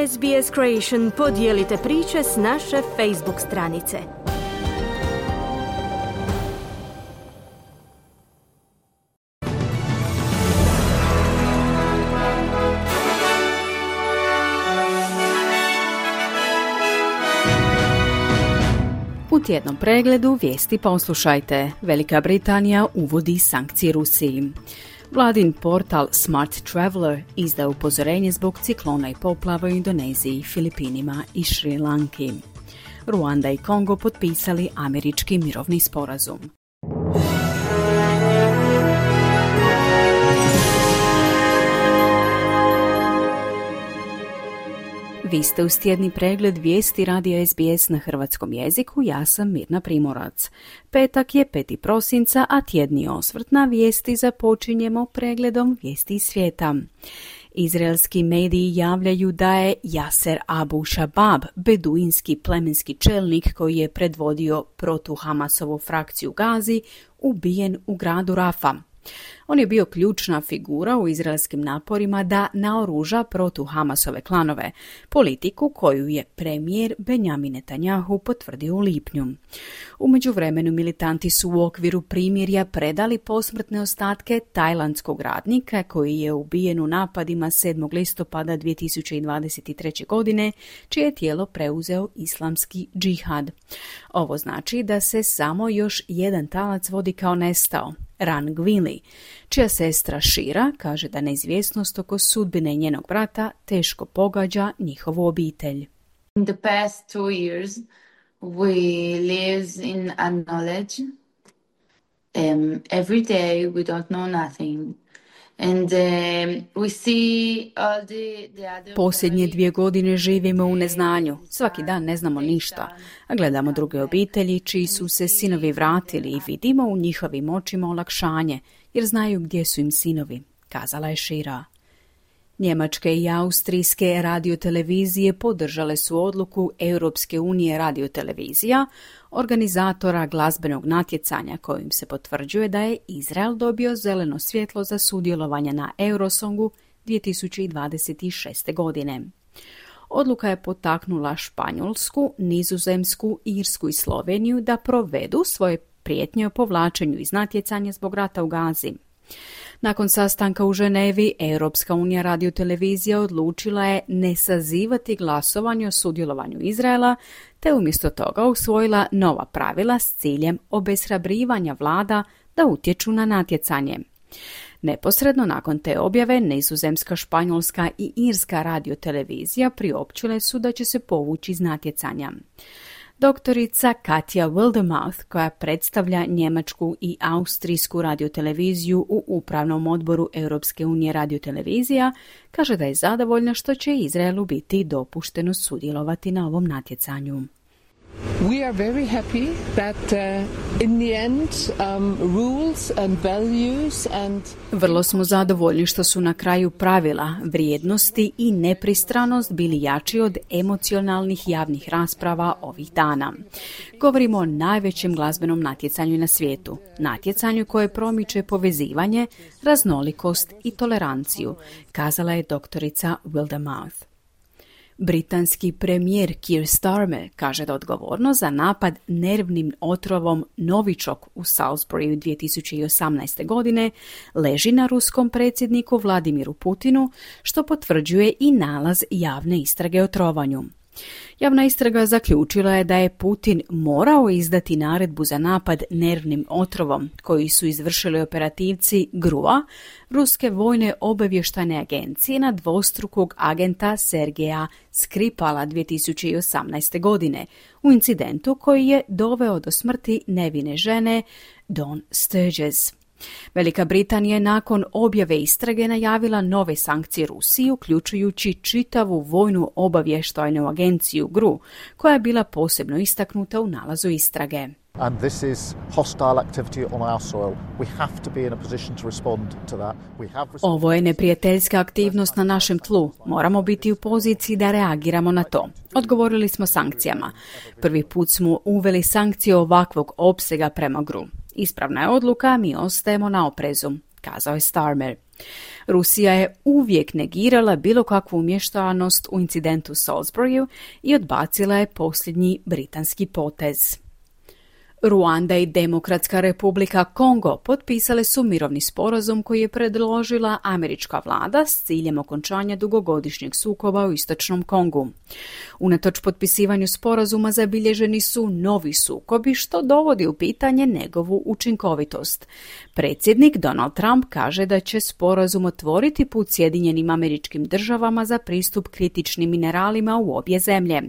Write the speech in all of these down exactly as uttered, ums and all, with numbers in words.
S B S Creation podijelite priče s naše Facebook stranice. U tjednom pregledu vijesti poslušajte. Velika Britanija uvodi sankcije Rusiji. Vladin portal Smart Traveller izda upozorenje zbog ciklona i poplava u Indoneziji, Filipinima i Šri Lanki. Ruanda i Kongo potpisali američki mirovni sporazum. Vi ste uz tjedni pregled vijesti radija S B S na hrvatskom jeziku, ja sam Mirna Primorac. Petak je peti prosinca, a tjedni osvrt na vijesti započinjemo pregledom vijesti iz svijeta. Izraelski mediji javljaju da je Yasser Abu Shabab, beduinski plemenski čelnik koji je predvodio protu-Hamasovu frakciju Gazi, ubijen u gradu Rafa. On je bio ključna figura u izraelskim naporima da naoruža protu-Hamasove klanove, politiku koju je premijer Benjamin Netanjahu potvrdio u lipnju. U međuvremenu militanti su u okviru primirja predali posmrtne ostatke tajlandskog radnika koji je ubijen u napadima sedmog listopada dvije tisuće dvadeset treće. godine, čije je tijelo preuzeo islamski džihad. Ovo znači da se samo još jedan talac vodi kao nestao, Ran Gwili, čija sestra Shira kaže da neizvjesnost oko sudbine njenog brata teško pogađa njihovu obitelj. In the past two years we live in unknowledge. Um, every day we don't know nothing. And um, we see all the, the other Posljednje dvije godine živimo u neznanju. Svaki dan ne znamo ništa, a gledamo druge obitelji čiji su se sinovi vratili i vidimo u njihovim očima olakšanje, jer znaju gdje su im sinovi, kazala je Shira. Njemačke i austrijske radiotelevizije podržale su odluku Europske unije radiotelevizija, organizatora glazbenog natjecanja kojim se potvrđuje da je Izrael dobio zeleno svjetlo za sudjelovanje na Eurosongu dvije tisuće dvadeset šeste. godine. Odluka je potaknula Španjolsku, Nizozemsku, Irsku i Sloveniju da provedu svoje prijetnje o povlačenju iz natjecanja zbog rata u Gazi. Nakon sastanka u Ženevi, Europska unija radiotelevizija odlučila je ne sazivati glasovanje o sudjelovanju Izraela, te umjesto toga usvojila nova pravila s ciljem obeshrabrivanja vlada da utječu na natjecanje. Neposredno nakon te objave, Nizozemska, Španjolska i Irska radiotelevizija priopćile su da će se povući iz natjecanja. Doktorica Katja Wildemouth, koja predstavlja njemačku i austrijsku radioteleviziju u upravnom odboru Europske unije radiotelevizija, kaže da je zadovoljna što će Izraelu biti dopušteno sudjelovati na ovom natjecanju. We are very happy that uh, in the end um, rules and values and Vrlo smo zadovoljni što su na kraju pravila, vrijednosti i nepristranost bili jači od emocionalnih javnih rasprava ovih dana. Govorimo o najvećem glazbenom natjecanju na svijetu, natjecanju koje promiče povezivanje, raznolikost i toleranciju, kazala je doktorica Wildemouth. Britanski premijer Keir Starmer kaže da odgovornost za napad nervnim otrovom Novichok u Salisburyu dvije tisuće osamnaeste. godine leži na ruskom predsjedniku Vladimiru Putinu, što potvrđuje i nalaz javne istrage o trovanju. Javna istraga zaključila je da je Putin morao izdati naredbu za napad nervnim otrovom koji su izvršili operativci G R U-a, ruske vojne obavještajne agencije, na dvostrukog agenta Sergeja Skripala dvije tisuće osamnaeste. godine u incidentu koji je doveo do smrti nevine žene Dawn Sturges. Velika Britanija je nakon objave istrage najavila nove sankcije Rusiji, uključujući čitavu vojnu obavještajnu agenciju G R U, koja je bila posebno istaknuta u nalazu istrage. And this is hostile activity on our soil. We have to be in a position to respond to that. We have Ovo je neprijateljska aktivnost na našem tlu. Moramo biti u poziciji da reagiramo na to. Odgovorili smo sankcijama. Prvi put smo uveli sankcije ovakvog opsega prema G R U. Ispravna je odluka, mi ostajemo na oprezu, kazao je Starmer. Rusija je uvijek negirala bilo kakvu umješanost u incidentu u Salisburyu i odbacila je posljednji britanski potez. Ruanda i Demokratska republika Kongo potpisale su mirovni sporazum koji je predložila američka vlada s ciljem okončanja dugogodišnjeg sukoba u istočnom Kongu. Unatoč potpisivanju sporazuma zabilježeni su novi sukobi što dovodi u pitanje njegovu učinkovitost. Predsjednik Donald Trump kaže da će sporazum otvoriti put Sjedinjenim Američkim Državama za pristup kritičnim mineralima u obje zemlje.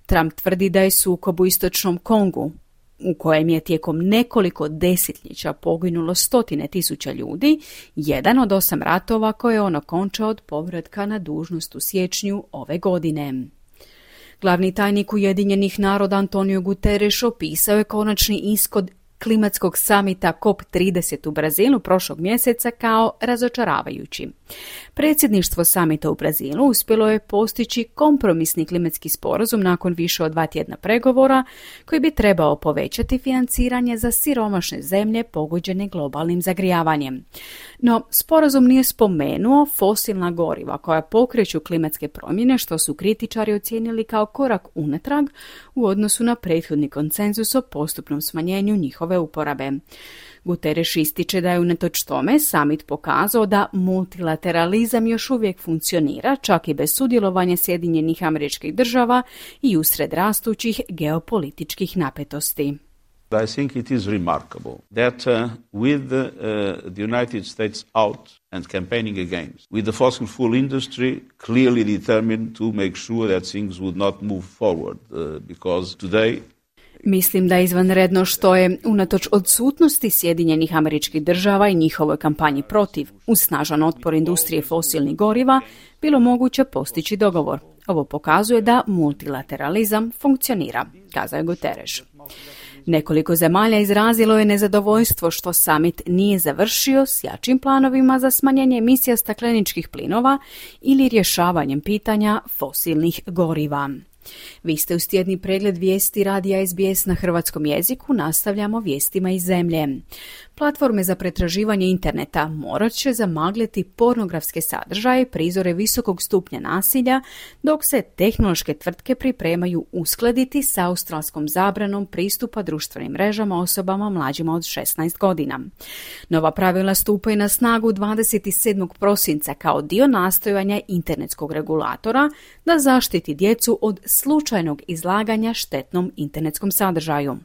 Trump tvrdi da je sukob u istočnom Kongu, u kojem je tijekom nekoliko desetljeća poginulo stotine tisuća ljudi, jedan od osam ratova koje je on okončao od povratka na dužnost u siječnju ove godine. Glavni tajnik Ujedinjenih naroda Antonio Guterres opisao je konačni ishod klimatskog samita C O P trideset u Brazilu prošlog mjeseca kao razočaravajući. Predsjedništvo samita u Brazilu uspjelo je postići kompromisni klimatski sporazum nakon više od dva tjedna pregovora koji bi trebao povećati financiranje za siromašne zemlje pogođene globalnim zagrijavanjem. No, sporazum nije spomenuo fosilna goriva koja pokreću klimatske promjene, što su kritičari ocijenili kao korak unatrag u odnosu na prethodni konsenzus o postupnom smanjenju njihove uporabe. Guterres ističe da je unatoč tome samit pokazao da multilateralizam još uvijek funkcionira, čak i bez sudjelovanja Sjedinjenih Američkih Država i usred rastućih geopolitičkih napetosti. I think it is remarkable that uh, with the, uh, the United States out and campaigning against, with the fossil fuel industry clearly determined to make sure that things would not move forward, uh, because today Mislim da je izvanredno što je, unatoč odsutnosti Sjedinjenih Američkih Država i njihovoj kampanji protiv, uz snažan otpor industrije fosilnih goriva, bilo moguće postići dogovor. Ovo pokazuje da multilateralizam funkcionira, kazao je Guterres. Nekoliko zemalja izrazilo je nezadovoljstvo što samit nije završio s jačim planovima za smanjenje emisija stakleničkih plinova ili rješavanjem pitanja fosilnih goriva. Vi ste uz tjedni pregled vijesti radija S B S na hrvatskom jeziku, nastavljamo vijestima iz zemlje. Platforme za pretraživanje interneta morat će zamagliti pornografske sadržaje i prizore visokog stupnja nasilja, dok se tehnološke tvrtke pripremaju uskladiti s australskom zabranom pristupa društvenim mrežama osobama mlađima od šesnaest godina. Nova pravila stupaju na snagu dvadeset sedmog prosinca kao dio nastojanja internetskog regulatora da zaštiti djecu od slučajnog izlaganja štetnom internetskom sadržaju.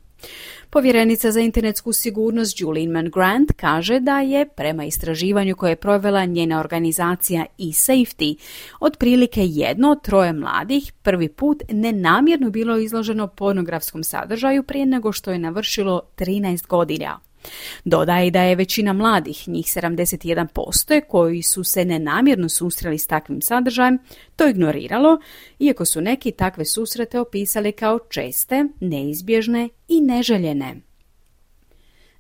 Povjerenica za internetsku sigurnost Julian Mann Grant kaže da je, prema istraživanju koje je provela njena organizacija eSafety, otprilike jedno od troje mladih prvi put nenamjerno bilo izloženo pornografskom sadržaju prije nego što je navršilo trinaest godina. Dodaje da je većina mladih, njih sedamdeset jedan posto, koji su se nenamjerno susreli s takvim sadržajem, to ignoriralo, iako su neki takve susrete opisali kao česte, neizbježne i neželjene.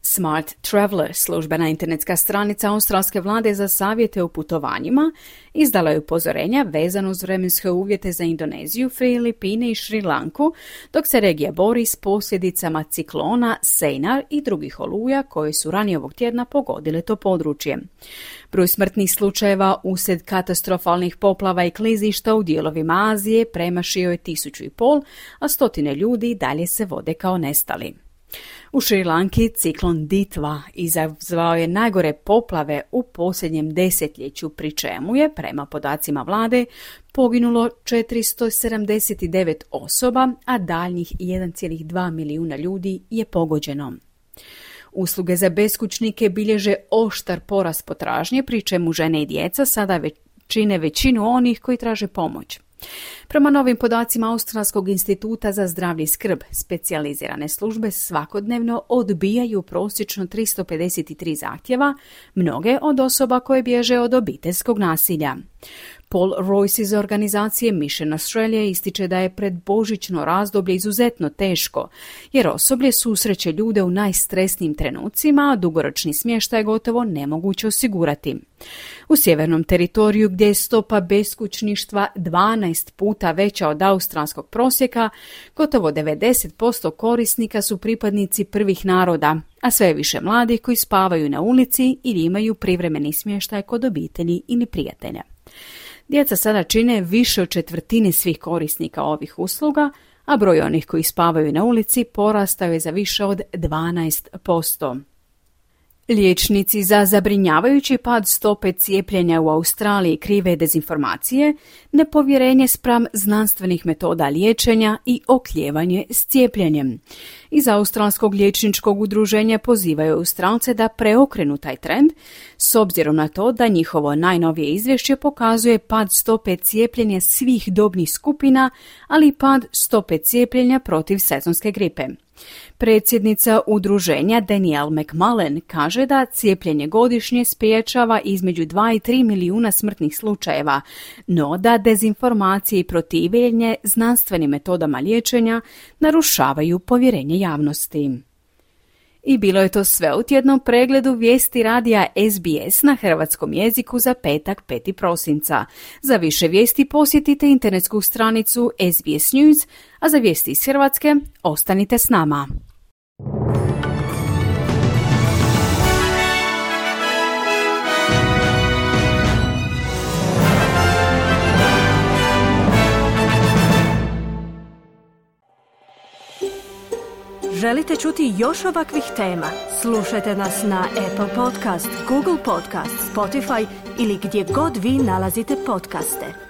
Smart Traveler, službena internetska stranica australske vlade za savjete o putovanjima, izdala je upozorenja vezano uz vremenske uvjete za Indoneziju, Filipine i Šri Lanku, dok se regija bori s posljedicama ciklona Seinar i drugih oluja koje su ranije ovog tjedna pogodile to područje. Broj smrtnih slučajeva uslijed katastrofalnih poplava i klizišta u dijelovima Azije premašio je tisuću i pol, a stotine ljudi dalje se vode kao nestali. U Šri Lanki ciklon Ditva izazvao je najgore poplave u posljednjem desetljeću, pri čemu je, prema podacima vlade, poginulo četiristo sedamdeset devet osoba, a daljnjih jedan zarez dva milijuna ljudi je pogođeno. Usluge za beskućnike bilježe oštar porast potražnje, pri čemu žene i djeca sada čine većinu onih koji traže pomoć. Prema novim podacima Australskog instituta za zdravlje i skrb, specijalizirane službe svakodnevno odbijaju prosječno tristo pedeset tri zahtjeva, mnoge od osoba koje bježe od obiteljskog nasilja. Paul Royce iz organizacije Mission Australia ističe da je predbožićno razdoblje izuzetno teško, jer osoblje susreće ljude u najstresnijim trenucima, a dugoročni smještaj je gotovo nemoguće osigurati. U sjevernom teritoriju, gdje je stopa beskućništva dvanaest puta veća od australskog prosjeka, gotovo devedeset posto korisnika su pripadnici prvih naroda, a sve je više mladih koji spavaju na ulici ili imaju privremeni smještaj kod obitelji ili prijatelja. Djeca sada čine više od četvrtine svih korisnika ovih usluga, a broj onih koji spavaju na ulici porastao je za više od dvanaest posto. Liječnici za zabrinjavajući pad stope cijepljenja u Australiji krive dezinformacije, nepovjerenje spram znanstvenih metoda liječenja i oklijevanje s cijepljenjem. Iz Australskog liječničkog udruženja pozivaju Australce da preokrenu taj trend, s obzirom na to da njihovo najnovije izvješće pokazuje pad stope cijepljenja svih dobnih skupina, ali i pad stope cijepljenja protiv sezonske gripe. Predsjednica udruženja Danielle McMullen kaže da cijepljenje godišnje spriječava između dva i tri milijuna smrtnih slučajeva, no da dezinformacije i protivljenje znanstvenim metodama liječenja narušavaju povjerenje javnosti. I bilo je to sve u tjednom pregledu vijesti radija S B S na hrvatskom jeziku za petak peti prosinca. Za više vijesti posjetite internetsku stranicu S B S News, a za vijesti iz Hrvatske ostanite s nama. Želite čuti još ovakvih tema? Slušajte nas na Apple Podcast, Google Podcast, Spotify ili gdje god vi nalazite podcaste.